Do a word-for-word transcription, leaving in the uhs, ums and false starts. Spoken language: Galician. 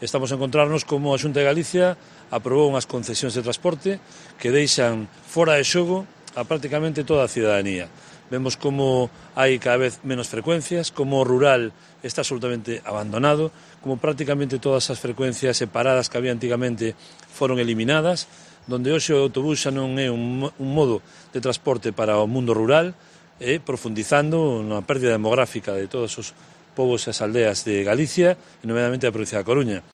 Estamos a encontrarnos como a Xunta de Galicia aprobou unhas concesións de transporte que deixan fora de xogo a prácticamente toda a cidadanía. Vemos como hai cada vez menos frecuencias, como o rural está absolutamente abandonado, como prácticamente todas as frecuencias separadas que había antigamente foron eliminadas, donde hoxe o autobús xa non é un, un modo de transporte para o mundo rural, e profundizando na pérdida demográfica de todos os povos e as aldeas de Galicia e nomeadamente da provincia da Coruña.